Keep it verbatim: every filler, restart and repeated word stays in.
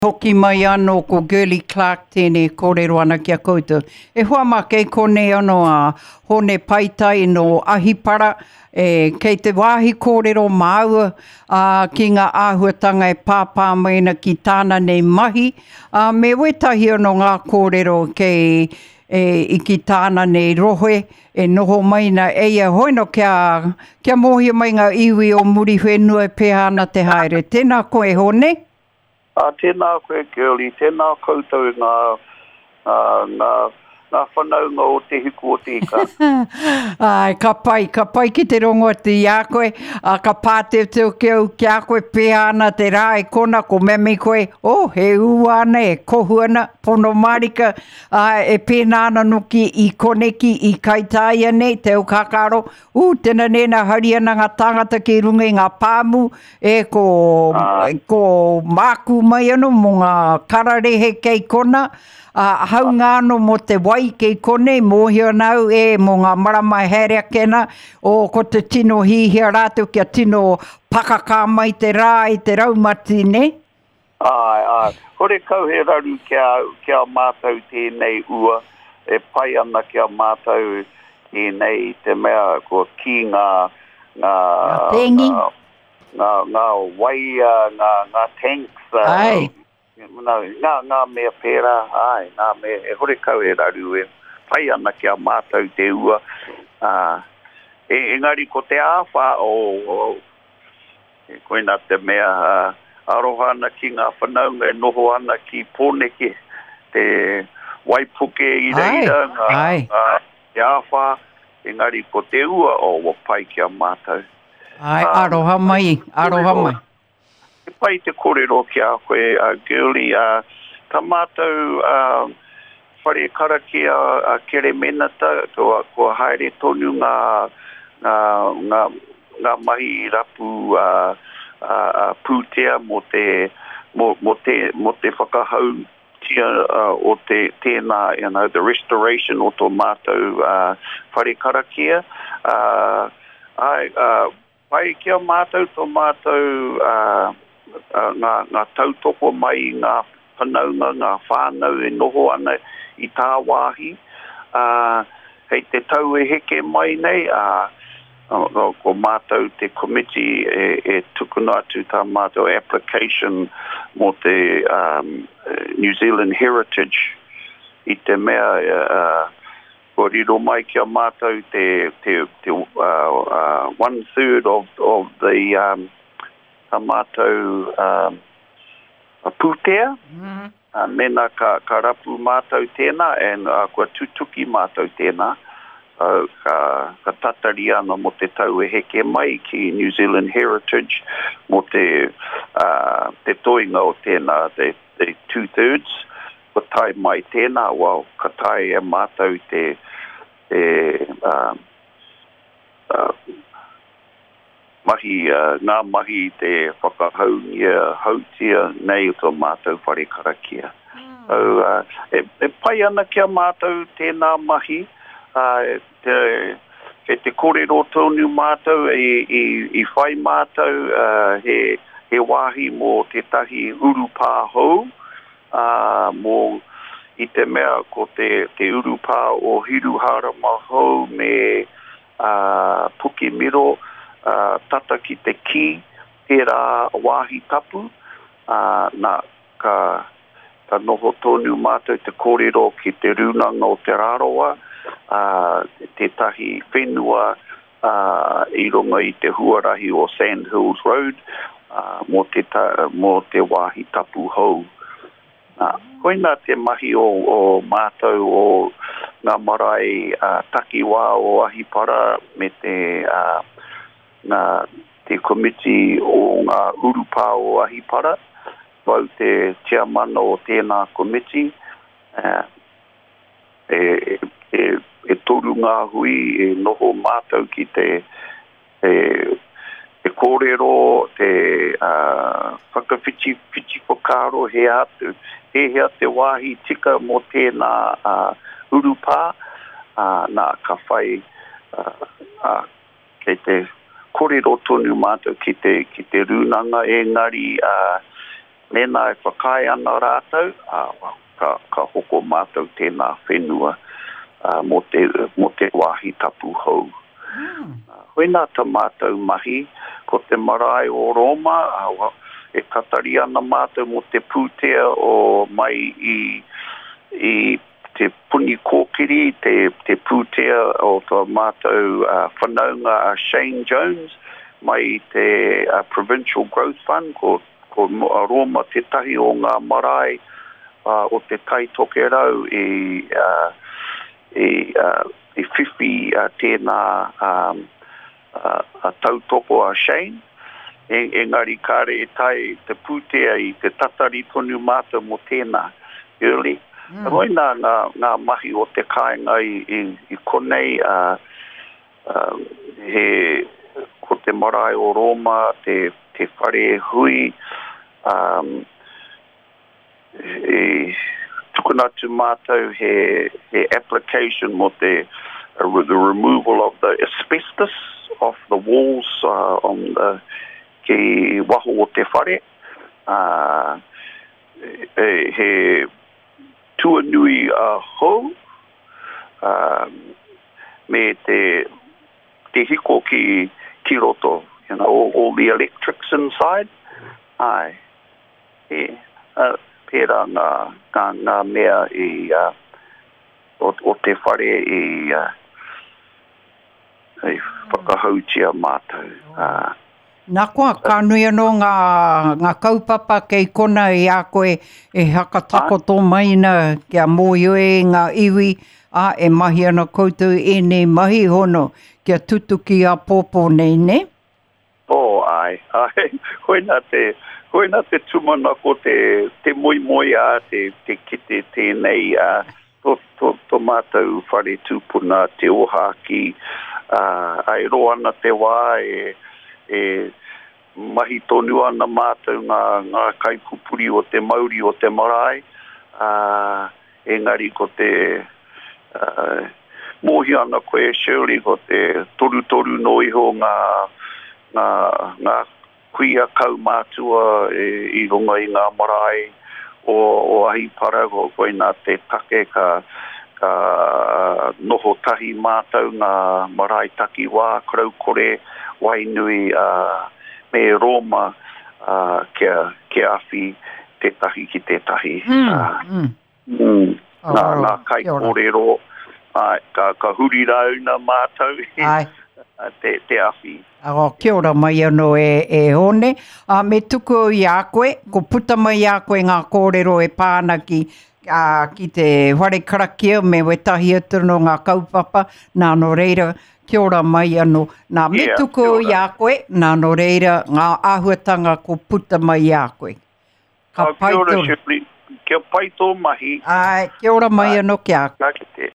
Hoki mai anō ko Girlie Clarke tēnei kōrero ana ki a koutou. E hoa mā kei konei anō a Hone Paitai no Ahipara, e, kei te wāhi kōrero māua a, ki ngā āhuatanga e pāpā mai ana ki tāna nei mahi, a, me wētahi anō ngā kōrero kei e, i ki tāna nei rohe e noho mai na e ia hoino kia, kia mōhio mai ngā iwi o Muriwhenua e pēhea ana te haere. Tēnā koe Hone? Uh, tēnā koe Girlie, tēnā koutou ngā, ngā, ngā, ngā whanaunga o te hiku o te ika. Ai, ka pai, ka pai ki te rongo atu i a koe, a, ka pāteuteu ki au ki a koe pēhea ana te rā e kona ko memi koe, oh, he ua ana, e kohu ana, pono mārika, a, e pēnā ana noki i koneki, i Kaitāia nei, te au kākaro, ū, tēnā nēnā hari ana ngā tāngata ki runga i ngā pāmu, e ko, ko māku mai anō mō ngā kararehe kei kona, a, haunga anō mō te wai kei konei, mōhio ana au e mō ngā marama e haere ake ana, o ko te tino hihia rātou kia tino pakaka mai te rā i te raumati, ne? Ai, ai. Horekau he raru kia, kia mātou tēnei ua, e pai ana kia mātou tēnei te mea ko ki ngā, ngā, Ngā tēngi. ngā, ngā, ngā wai, ngā, ngā tanks, Ai. no, ngā, ngā mea pērā, ai, ngā mea, e horekau he raru e pai ana kia mātou te ua. Uh, e, engari ko te āwhā o, o e koina te mea uh, aroha ana ki ngā whanaunga e noho ana ki Pōneke, te waipuke i reira, ngā, ai. ngā, te āwhā, engari ko te ua o oh, pai kia mātou. Ai, Ah, aroha mai, aroha mai. Te pai te kōrero ki a koe, uh, Girlie, uh, tā mātou uh, whare karakia uh, Keremenata, kua, kua haere tonu ngā, ngā, ngā, ngā mahi rapu uh, uh, uh, pūtea mō te, mō, mō te, mō te whakahautia uh, o te tēnā, you know, the restoration o tō mātou uh, whare karakia. Uh, ai, uh, pai kia mātou tō mātou uh, uh, ngā, ngā tautoko mai i ngā whanaunga, ngā whānau e noho ana i tāwāhi. Uh, hei te tau e heke mai nei, uh, uh, ko mātou te komiti e, e tukuna atu tā mātou application mō te um, New Zealand Heritage i te mea uh, kua riro mai kia mātou te, te, te uh, uh, one third of, of the um, tā mātou um, pūtea. Mm. Uh, mena ka, ka rapu mātou tēnā and uh, kua tutuki mātou tēnā. So, ka, ka tatari ana mō te tau e heke mai ki New Zealand Heritage mō te, uh, te toinga o tēnā, te, te two-thirds. Kua tae mai tēnā, well, ka tae e mātou te, te uh, uh, mahi, uh, ngā mahi te whakahaungia, hautia nei o tō mātou whare karakia. So, uh, e, e pai ana kia mātou tēnā mahi, uh, te, kei te kōrero tonu mātou, i, i, i whai mātou, uh, he, he wāhi mō tētahi urupā hou, uh, mō i te mea ko te, te urupā o Hiruharama hou me uh, Pukemiro, uh, tata ki te ki, tērā wāhi tapu, uh, nā, ka, ka noho tonu mātou te kōrero ki te rūnanga o Te Rarawa, uh, tētahi whenua uh, i runga i te huarahi o Sand Hills Road uh, mō, te ta, mō te wāhi tapu hou. Nā, koina te mahi o, o mātou o ngā marae uh, takiwā o Ahipara me te, uh, ngā, te komiti o ngā urupā o Ahipara. Wau te tiamana o tēnā komiti. Uh, e, e, e toru ngā hui e noho mātou ki te, te, te kōrero, te uh, whakawhiti whiti whakaaro he atu, he hea te wāhi tika mō tēnā uh, urupā, uh, nā, ka whai, uh, uh, kei te kōrero tonu mātou ki te, ki te rūnanga engari uh, Mēnā e whakaae ana rātou, ā, ka, ka hoko mātou tēnā whenua uh, mō te, mō te wāhi tapu hou. Mm. Uh, hoina tā mātou mahi, ko te marae o Roma, uh, e tatari ana mātou mō te pūtea o mai i, i te puni kōkiri, te, te pūtea o tō mātou uh, whanaunga a Shane Jones, mai i te uh, Provincial Growth Fund, ko ko Roma tētahi o ngā marae uh, o te Tai Tokerau i, uh, i, uh, i whiwhi uh, tēnā um, uh, uh, tautoko a Shane. E, engari kāre e tae te pūtea i te tatari tonu mātou mō tēnā. Early. Mm. Hoi nā ngā, ngā mahi o te kāinga i, i, i konei uh, uh, he, ko te marae o Roma, te, te whare hui, um, e, tukuna atu mātou he, he application mō te uh, the removal of the asbestos off the walls uh, on the ki waho o te whare. Uh, e, he tuanui uh, hou um, me te, te hiko ki, ki roto, you know, all, all the electrics inside. Ai, e, uh, pērā ngā, ngā, ngā mea i, uh, o, o te whare i, uh, i whakahautia mātou. Uh, Nā koa, ka nui anō ngā, ngā kaupapa kei kona i a koe e hakatakoto mai na kia mōhio e ngā iwi, a e mahi ana koutou ēnei mahi hono kia tutuki a pōpō nei, ne? Oh, ai, ai, koina te, koina te tūmanako te, te moemoeā, te, te kite tēnei, uh, to, to, to mātou whare tūpuna, te ōhākī, uh, ai roa ana te wā e, e mahi tonu ana mātou ngā, ngā kaipupuri o te mauri o te marae, uh, engari ko te uh, mōhio ana koe Shirley, ko te torutoru no iho ngā, ngā, ngā kuia kaumātua e, i runga i ngā marae o, o Ahipara, ko koina te take ka, ka noho tahi mātou ngā marae takiwā, Kraukore, Wainui, uh, me Roma, uh, kia, kia awhi tētahi ki tētahi. Mm, uh, mm. Mm, ngā, Oh, ngā kaikōrero, ai, ka, ka huri rauna mātou Ai. te, te awhi. Oh, kia ora mai anō e, e Hone. A, me tuku au i a koe, ko puta mai i a koe ngā kōrero e pā ana ki, a, ki te whare karakia me wetahi atu no ngā kaupapa, nā nō reira, kia ora mai anō. Nā, me Yeah, tuku kia au i ora. a koe, nā nō reira, ngā āhuatanga ko puta mai i a koe. Ka Oh, pai kia ora, tō. Shirley. Kia pai tō mahi. Ai, kia ora mai Ai. anō ki a Ka kite.